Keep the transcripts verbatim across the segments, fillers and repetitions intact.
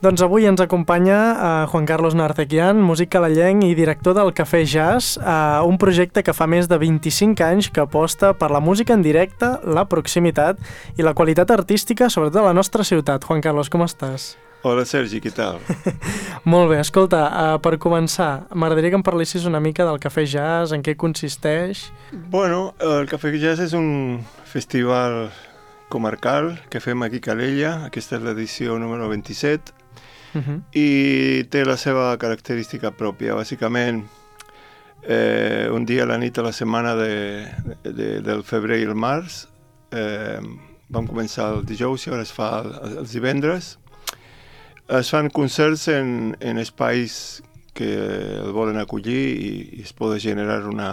Doncs avui ens acompanya uh, Juan Carlos Narcequian, músic calalenc i director del Cafè Jazz, uh, un projecte que fa més de vint-i-cinc anys que aposta per la música en directe, la proximitat i la qualitat artística, sobretot a la nostra ciutat. Juan Carlos, com estàs? Hola Sergi, què tal? Molt bé, escolta, uh, per començar, m'agradaria que em parlessis una mica del Cafè Jazz, en què consisteix... Bueno, el Cafè Jazz és un festival comarcal que fem aquí a Calella, aquesta és l'edició número vint-i-set, Uh-huh. i té la seva característica pròpia. Bàsicament, eh, un dia a la nit a la setmana de, de, del febrer i el març, eh, vam començar el dijous i ara es fa el, els divendres. Es fan concerts en, en espais que el volen acollir i, i es pot generar una,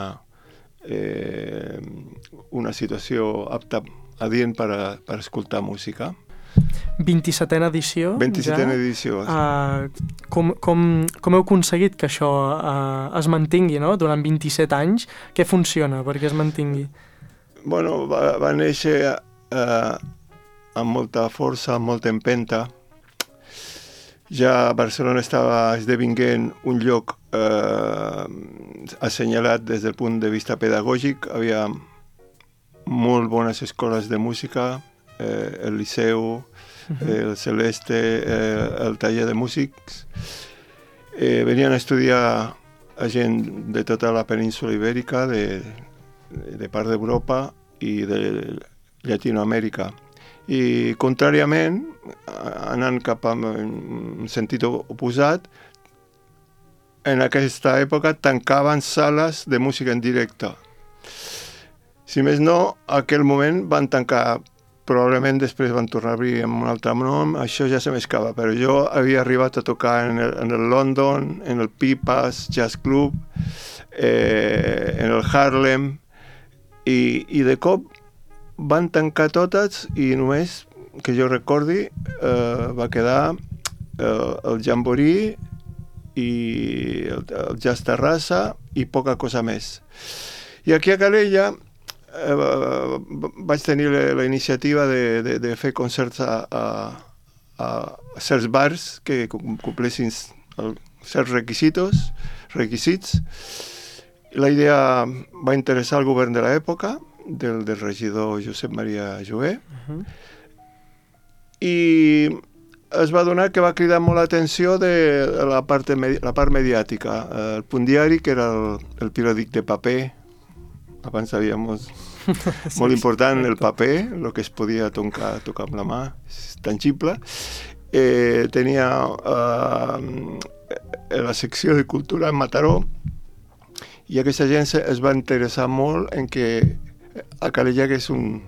eh, una situació apta, adient per, a, per escoltar música. vint-i-setena edició. vint-i-setena ja. edició. Uh, com, com, com heu aconseguit que això uh, es mantingui, no? Durant vint-i-set anys? Què funciona perquè es mantingui? Bueno, va, va néixer uh, amb molta força, amb molta empenta. Ja Barcelona estava esdevinguent un lloc uh, assenyalat des del punt de vista pedagògic. Havia molt bones escoles de música, eh, el Liceu, uh-huh. el Celeste, eh, el taller de músics. Eh, venien a estudiar a gent de tota la península ibèrica, de, de part d'Europa i de Llatinoamèrica. I, contràriament, anant cap a un sentit oposat, en aquesta època tancaven sales de música en directe. Si més no, en aquell moment van tancar, probablement després van tornar a obrir amb un altre nom, això ja se m'escapa, però jo havia arribat a tocar en el, en el London, en el Pipas Jazz Club, eh, en el Harlem, i, i de cop van tancar totes i només, que jo recordi, eh, va quedar eh, el Jamboree i el, el Jazz Terrassa i poca cosa més. I aquí a Calella eh, vaig tenir la, la iniciativa de, de, de fer concerts a, a, a certs bars que complessin el, certs requisitos, requisits. La idea va interessar al govern de l'època, del, del regidor Josep Maria Jover, uh-huh. i es va donar que va cridar molt l'atenció de la part, la part mediàtica. El Punt Diari, que era el, el periòdic de paper, abans sabíem sí, molt important el paper, el que es podia tocar, tocar amb la mà, és tangible. Eh, tenia eh, la secció de cultura en Mataró, i aquesta gent es va interessar molt en que a Calella que és un,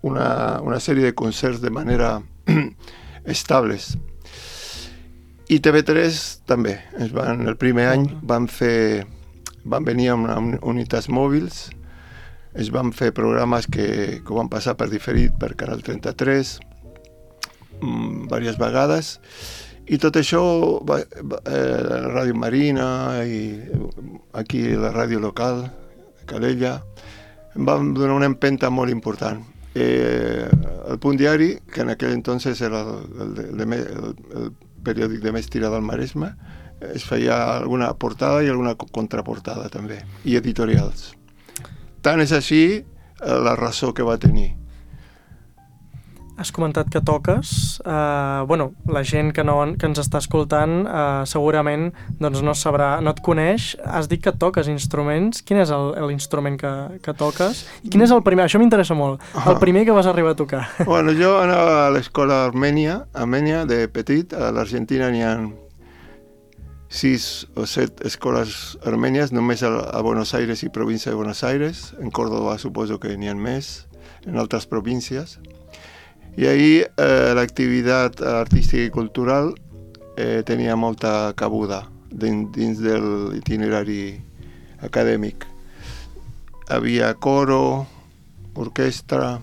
una, una sèrie de concerts de manera estables. I T V tres també. Es van, el primer any van fer, van venir amb, amb unitats mòbils, es van fer programes que, que van passar per diferit per Canal trenta-tres mmm, diverses vegades, i tot això va, va, eh, la Ràdio Marina i aquí la ràdio local, Calella, em van donar una empenta molt important. Eh, el Punt Diari, que en aquell entonces era el, el, el, el, el periòdic de més tirada al Maresme, es feia alguna portada i alguna contraportada també, i editorials. Tant és així la raó que va tenir. Has comentat que toques. Uh, bueno, la gent que, no, que ens està escoltant uh, segurament doncs no sabrà, no et coneix. Has dit que toques instruments. Quin és l'instrument que, que toques? I quin és el primer? Això m'interessa molt. El primer que vas arribar a tocar. Bueno, jo anava a l'escola Armènia, Armènia de petit. A l'Argentina n'hi ha sis o set escoles armènies, només a, a Buenos Aires i província de Buenos Aires. En Córdoba suposo que n'hi ha més, en altres províncies. I ahir eh, l'activitat artística i cultural eh, tenia molta cabuda dins, dins de l'itinerari acadèmic. Havia coro, orquestra,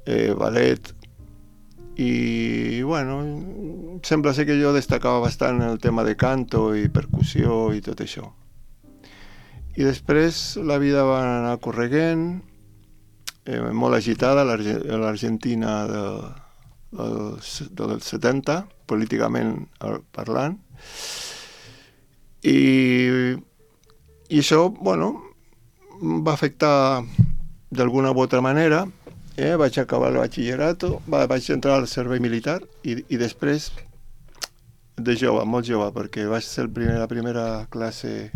eh, ballet, i bueno, sembla ser que jo destacava bastant en el tema de canto i percussió i tot això. I després la vida va anar correguent, Eh, molt agitada, l'Argentina de, dels, dels setanta, políticament parlant. I, i això, bueno, va afectar d'alguna u altra manera. Eh? Vaig acabar el batxillerat, vaig entrar al servei militar i, i després, de jove, molt jove, perquè vaig ser el primer, la primera classe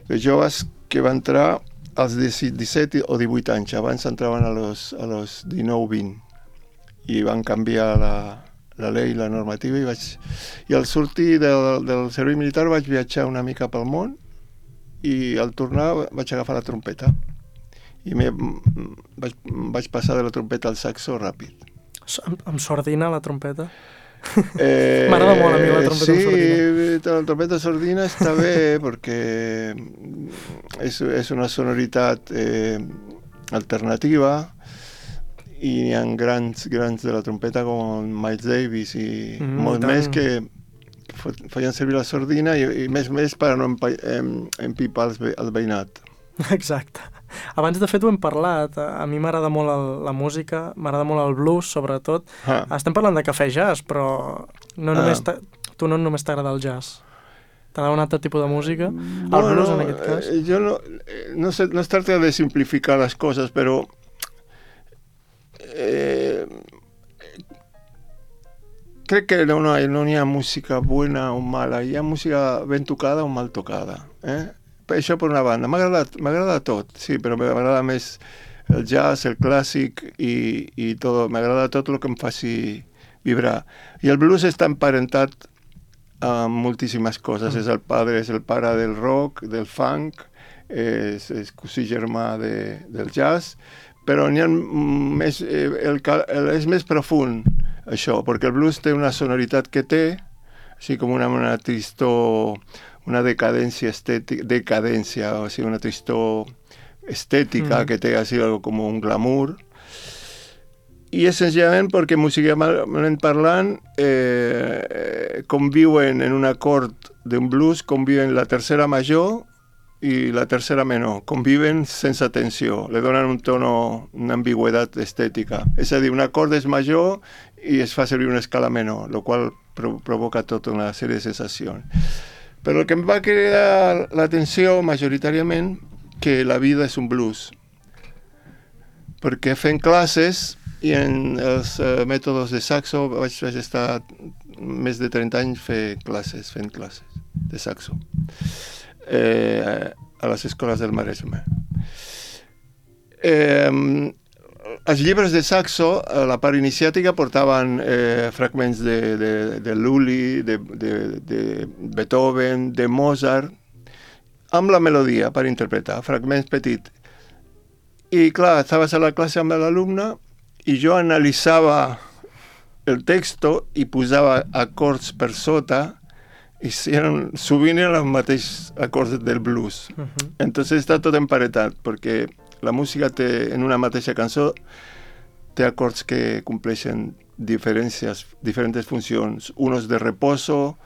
de joves que va entrar als disset o divuit anys. Abans entraven a los, a los dinou vint i van canviar la, la llei, la normativa, i, vaig, i al sortir del, del servei militar vaig viatjar una mica pel món i al tornar vaig agafar la trompeta i me, vaig, vaig passar de la trompeta al saxo ràpid. Amb, amb sordina, la trompeta? Eh, M'agrada molt a mi la trompeta sí, amb sordina. Sí, la trompeta sordina està bé perquè és, és una sonoritat eh, alternativa i hi ha grans, grans de la trompeta com Miles Davis i mm, molt tant. Més que feien servir la sordina i, i més més per a no empipar el veïnat. Exacte. Abans, de fet, ho hem parlat. A mi m'agrada molt el, la música, m'agrada molt el blues, sobretot. Ah. Estem parlant de cafè jazz, però no ah. només tu no només t'agrada el jazz. T'agrada un altre tipus de música? El bueno, blues, en aquest cas? Jo no, no, sé, no es tracta de simplificar les coses, però eh, crec que no, no, no hi ha música bona o mala, hi ha música ben tocada o mal tocada. Eh? Això per una banda. M'agrada tot, sí, però m'agrada més el jazz, el clàssic i, i tot. M'agrada tot el que em faci vibrar. I el blues està emparentat amb moltíssimes coses. Mm. És el padre, és el pare del rock, del funk, és, és cosí germà de, del jazz, però n'hi ha més, el, el, és més profund, això, perquè el blues té una sonoritat que té, així com una, una tristor, una decadència estètica, decadència, o sigui, una tristor estètica mm. que té així algo com un glamour. I és senzillament perquè musicalment parlant eh, conviuen en un acord d'un blues, conviuen la tercera major i la tercera menor, conviven sense tensió, le donen un tono, una ambigüetat estètica. És a dir, un acord és major i es fa servir una escala menor, el qual pro provoca tota una sèrie de sensacions. Però el que em va cridar l'atenció majoritàriament que la vida és un blues. Perquè fent classes i en els uh, mètodes de saxo vaig, vaig estar més de trenta anys fent classes, fent classes de saxo eh, a les escoles del Maresme. Eh, els llibres de saxo, a la part iniciàtica, portaven eh, fragments de, de, de Lully, de, de, de Beethoven, de Mozart, amb la melodia per interpretar, fragments petits. I clar, estaves a la classe amb l'alumne i jo analitzava el text i posava acords per sota i eren, sovint eren els mateixos acords del blues. Uh-huh. Entonces està tot emparentat, perquè la música té, en una mateixa cançó té acords que compleixen diferències, diferents funcions, unos de reposo,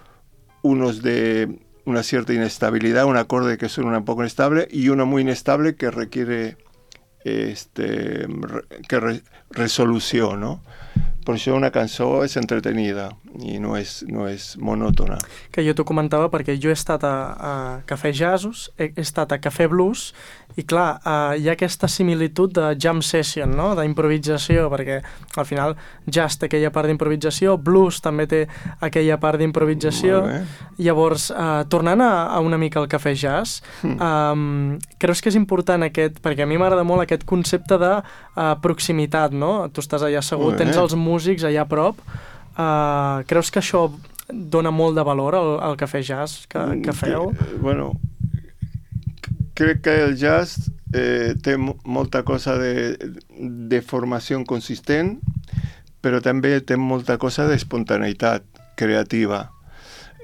unos de una cierta inestabilidad, un acorde que suena un poco inestable y uno muy inestable que requiere este, que re, resolución, ¿no? Per això una cançó és entretenida i no és, no és monòtona. Que jo t'ho comentava perquè jo he estat a, a Cafè Jazzos, he, he estat a Cafè Blues, i clar, uh, hi ha aquesta similitud de jam session, no? D'improvisació, perquè al final jazz té aquella part d'improvisació, blues també té aquella part d'improvisació. Llavors, uh, tornant a, a una mica al Cafè Jazz, mm. um, creus que és important aquest, perquè a mi m'agrada molt aquest concepte de uh, proximitat, no? Tu estàs allà assegut, tens els músics allà a prop. Uh, creus que això dona molt de valor al, al Cafè Jazz que, que feu? Que, bueno, crec que el jazz eh, té molta cosa de, de formació consistent, però també té molta cosa d'espontaneïtat creativa.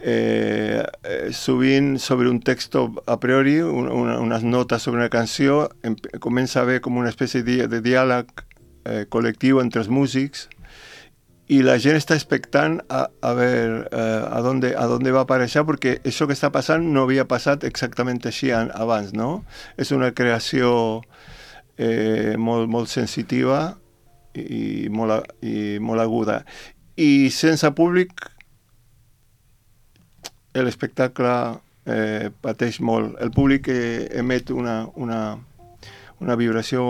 Eh, eh, sovint sobre un text a priori, un, una, unes notes sobre una canció, em, comença a haver com una espècie de, de diàleg eh, col·lectiu entre els músics i la gent està expectant a, a veure eh, a dónde, a dónde va aparèixer, perquè això que està passant no havia passat exactament així abans, no? És una creació eh, molt, molt sensitiva i, molt, i molt aguda. I sense públic l'espectacle eh, pateix molt. El públic eh, emet una, una, una vibració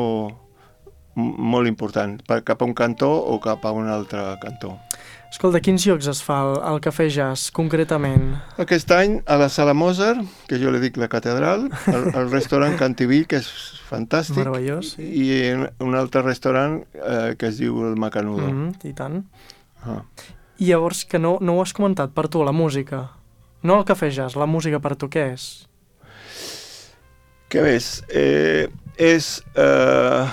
molt important, cap a un cantó o cap a un altre cantó. Escolta, quins llocs es fa el, el Cafè Jazz, concretament? Aquest any a la Sala Mozart, que jo li dic la catedral, al, al restaurant Cantiví, que és fantàstic, meravellós, sí. I en un altre restaurant eh, que es diu el Macanudo. Mm-hmm, I tant. Ah. I llavors, que no, no ho has comentat, per tu, la música. No el Cafè Jazz, la música per tu què és? Què és? Eh, és, eh,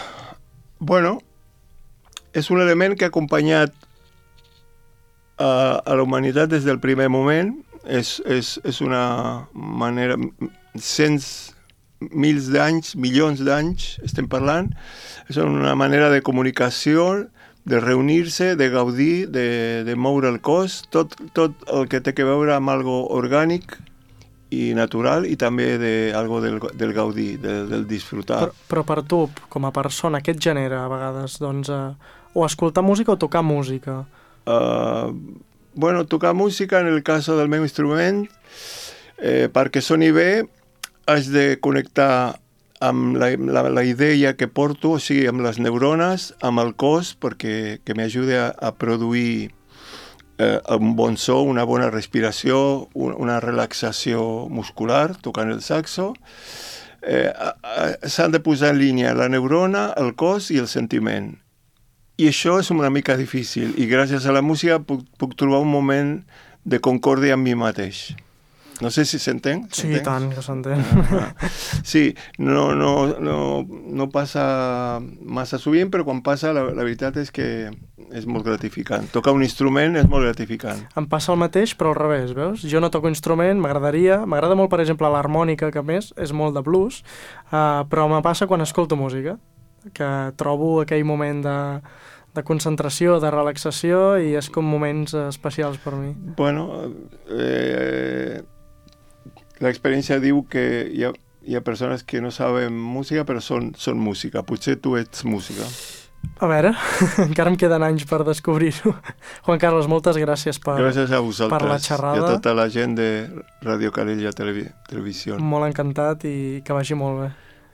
bueno, és un element que ha acompanyat a, a la humanitat des del primer moment. És, és, és una manera, cents, mils d'anys, milions d'anys, estem parlant, és una manera de comunicació, de reunir-se, de gaudir, de, de moure el cos, tot, tot el que té que veure amb algo orgànic i natural i també de algo del, del gaudir, del, del disfrutar. Però, però per tu, com a persona, què et genera a vegades? Doncs, eh, o escoltar música o tocar música? Uh, bueno, tocar música, en el cas del meu instrument, eh, perquè soni bé, has de connectar amb la, la, la idea que porto, o sigui, amb les neurones, amb el cos, perquè que m'ajuda a, a produir eh, un bon so, una bona respiració, un, una relaxació muscular, tocant el saxo. Eh, S'han de posar en línia la neurona, el cos i el sentiment. I això és una mica difícil, i gràcies a la música puc, puc trobar un moment de concòrdia amb mi mateix. No sé si s'entén. Sí, i tant, que s'entén. Ah, sí, no, no, no, no passa massa sovint, però quan passa la, la veritat és que és molt gratificant. Tocar un instrument és molt gratificant. Em passa el mateix, però al revés, veus? Jo no toco instrument, m'agradaria, m'agrada molt, per exemple, l'harmònica, que a més és molt de blues, uh, però me passa quan escolto música, que trobo aquell moment de, de concentració, de relaxació, i és com moments especials per mi. Bueno, eh, l'experiència diu que hi ha, hi ha persones que no saben música, però són, són música. Potser tu ets música. A veure, encara em queden anys per descobrir-ho. Juan Carlos, moltes gràcies per, gràcies a vosaltres, per la xerrada. I a tota la gent de Radio Calella Televi- Televisió. Molt encantat i que vagi molt bé.